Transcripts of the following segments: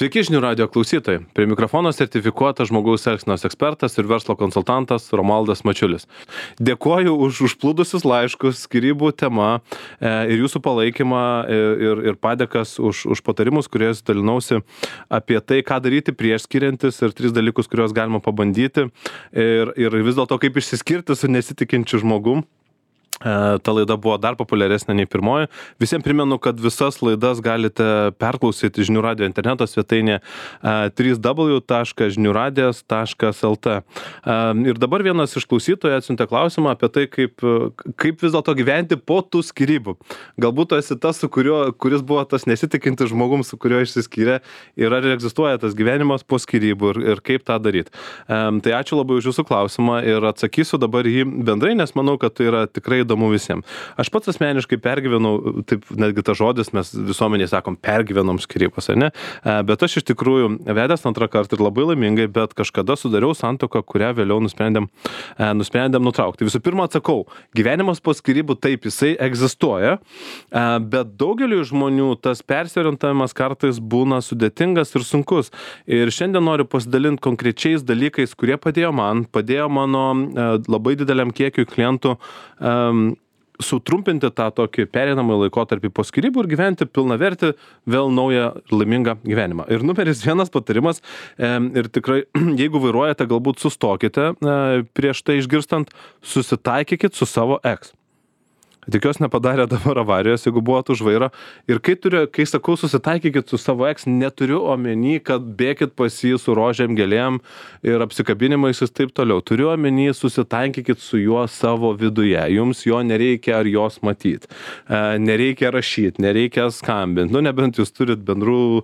Sveiki žinių radijo klausytojai. Prie mikrofono sertifikuotas žmogaus elgsenos ekspertas ir verslo konsultantas Romualdas Mačiulis. Dėkoju už užplūdusius laiškus, skyrybų tema ir jūsų palaikymą ir padėkas už patarimus, kuriais dalinausi apie tai, ką daryti prieš skiriantis ir 3 dalykus, kuriuos galima pabandyti ir vis dėlto kaip išsiskirti su nesitikinčiu žmogum. Ta laida buvo dar populiaresnė nei pirmoji. Visiems primenu, kad visas laidas galite perklausyti žinių radijo interneto svetainė www.žiniųradijas.lt. Ir dabar vienas iš klausytojų atsiuntė klausimą apie tai, kaip vis dėlto gyventi po tų skyrybų. Galbūt tu esi tas, kuris buvo tas nesitikintis žmogum, su kuriuo išsiskyrė, ir ar egzistuoja tas gyvenimas po skyrybų ir kaip tą daryti. Tai ačiū labai už jūsų klausimą ir atsakysiu dabar jį bendrai, nes manau, kad tai yra tikrai įdomu visiems. Aš pats asmeniškai pergyvenau, taip netgi tas žodis, mes visuomeniai sakom, pergyvenom skyrybas, ne? Bet aš iš tikrųjų vedęs antrą kartą ir labai laimingai, bet kažkada sudariau santuoką, kurią vėliau nusprendėm nutraukti. Visų pirma, atsakau, gyvenimas po skyrybų taip, jisai egzistuoja, bet daugeliu žmonių tas persiorientavimas kartais būna sudėtingas ir sunkus. Ir šiandien noriu pasidalinti konkrečiais dalykais, kurie padėjo mano labai dideliam kiekiui klientų sutrumpinti tą tokį pereinamą laikotarpį po skyrybų ir gyventi pilnavertį, vėl naują laimingą gyvenimą. Ir numeris 1 patarimas, ir tikrai, jeigu vairuojate, galbūt sustokite prieš tai išgirstant, susitaikykit su savo ex. Tikiuosi nepadarė dabar avarijos, jeigu buvot už vairo. Ir kai sakau susitaikykit su savo ex, neturiu omeny, kad bėkit pas jį su rožėm, gėlėm ir apsikabinimais ir taip toliau. Turiu omeny, susitaikykit su juo savo viduje. Jums jo nereikia ar jos matyti. Nereikia rašyti, nereikia skambinti. Nebent jūs turit bendrų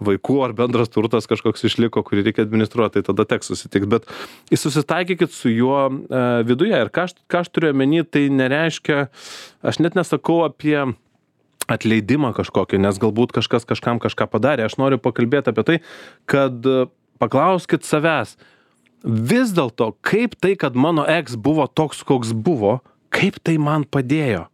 vaikų ar bendras turtas kažkoks išliko, kurį reikia administruoti, tai tada teks susitikti. Bet susitaikykit su juo viduje. Ir ką aš turiu omeny, tai nereiškia. Aš net nesakau apie atleidimą kažkokį, nes galbūt kažkas kažkam kažką padarė. Aš noriu pakalbėti apie tai, kad paklauskit savęs, vis dėlto, kaip tai, kad mano ex buvo toks, koks buvo, kaip tai man padėjo?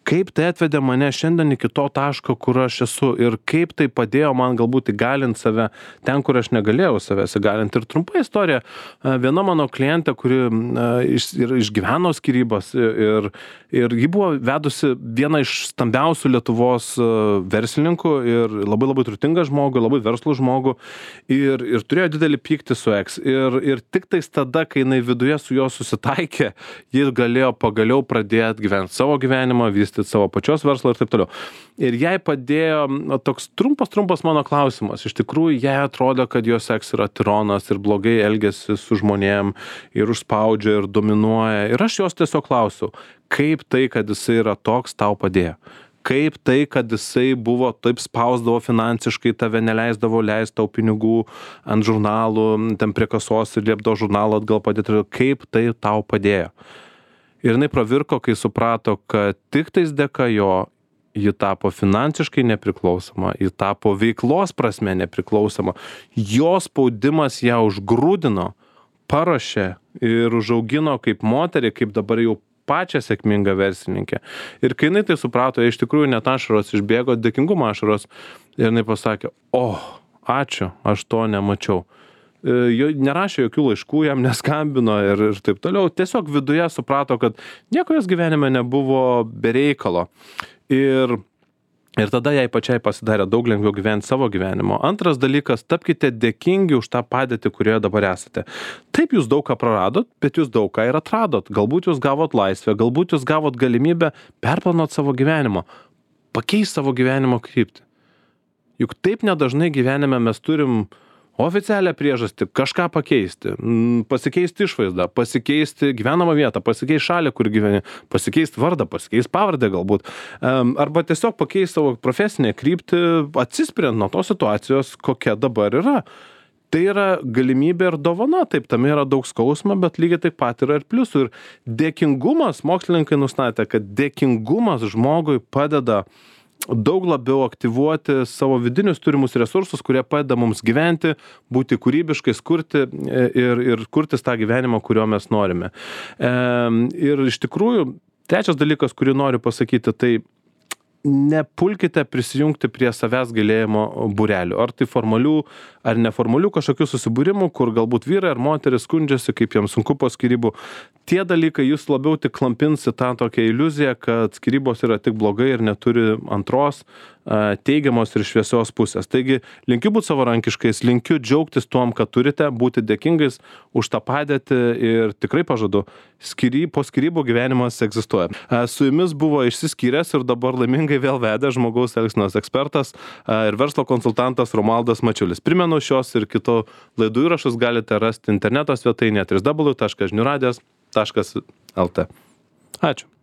Kaip tai atvedė mane šiandien iki to taško, kur aš esu ir kaip tai padėjo man galbūt įgalinti save ten, kur aš negalėjau savęs įgalinti. Ir trumpa istorija, viena mano klientė, kuri išgyveno skyrybas ir ji buvo vedusi vieną iš stambiausių Lietuvos verslininkų ir labai turtingą žmogų, labai verslų žmogų ir turėjo didelį pyktį su ex. Ir tik tais tada, kai jinai viduje su juo susitaikė, ji galėjo pagaliau pradėti gyventi savo gyvenimą, vystyti savo pačios verslą ir taip toliau. Ir jai padėjo toks trumpas mano klausimas. Iš tikrųjų, jai atrodė, kad jos ex yra tironas ir blogai elgiasi su žmonėm ir užspaudžia ir dominuoja. Ir aš jos tiesiog klausiau, kaip tai, kad jisai yra toks, tau padėjo? Kaip tai, kad jisai buvo taip spausdavo finansiškai, tave neleisdavo leisti tau pinigų ant žurnalų, ten prie kasos ir liepdavo žurnalą atgal padėti, kaip tai tau padėjo? Ir jinai pravirko, kai suprato, kad tik tais dėka jo ji tapo finansiškai nepriklausoma, ji tapo veiklos prasme nepriklausoma. Jo spaudimas ją užgrūdino, paruošė ir užaugino kaip moterį, kaip dabar jau pačią sėkmingą verslininkę. Ir kai jinai tai suprato, iš tikrųjų net ašaros išbėgo, dėkingumo ašaros, ir jinai pasakė, ačiū, aš to nemačiau. Nerašė jokių laiškų, jam neskambino ir taip toliau. Tiesiog viduje suprato, kad nieko jos gyvenime nebuvo be reikalo. Ir tada jai pačiai pasidarė daug lengviau gyventi savo gyvenimo. Antras dalykas, tapkite dėkingi už tą padėtį, kurioje dabar esate. Taip, jūs daug ką praradot, bet jūs daug ką ir atradot. Galbūt jūs gavot laisvę, galbūt jūs gavot galimybę perplanuoti savo gyvenimo, pakeisti savo gyvenimo kryptį. Juk taip nedažnai gyvenime mes turim oficialią priežastį kažką pakeisti, pasikeisti išvaizdą, pasikeisti gyvenamą vietą, pasikeisti šalį, kur gyveni, pasikeisti vardą, pasikeisti pavardę galbūt, arba tiesiog pakeisti savo profesinę kryptį, atsispiriant nuo tos situacijos, kokia dabar yra. Tai yra galimybė ir dovana, taip, tame yra daug skausmo, bet lygiai taip pat yra ir pliusų. Ir dėkingumas, mokslininkai nustatė, kad dėkingumas žmogui padeda daug labiau aktyvuoti savo vidinius turimus resursus, kurie padeda mums gyventi, būti kūrybiškais, kurti ir kurtis tą gyvenimą, kurio mes norime. Ir iš tikrųjų, trečias dalykas, kurį noriu pasakyti, tai nepulkite prisijungti prie savęs gailėjimo būrelių. Ar tai formalių, ar neformalių kažkokių susibūrimų, kur galbūt vyrai ar moteris skundžiasi, kaip jiems sunku po skyrybų. Tie dalykai jūs labiau tik klampins į tą tokią iliuziją, kad skyrybos yra tik blogai ir neturi antros teigiamos ir šviesios pusės. Taigi, linkiu būti savarankiškais, linkiu džiaugtis tuom, kad turite, būti dėkingais už tą padėtį ir tikrai pažadu, po skyrybų gyvenimas egzistuoja. Su jumis buvo išsiskyręs ir dabar laimingai vėl vedė žmogaus elgsenos ekspertas ir verslo konsultantas Romualdas Mačiulis. Primenu, šios ir kitų laidų įrašus galite rasti interneto svetainėje www.žiniųradijas.lt. Ačiū.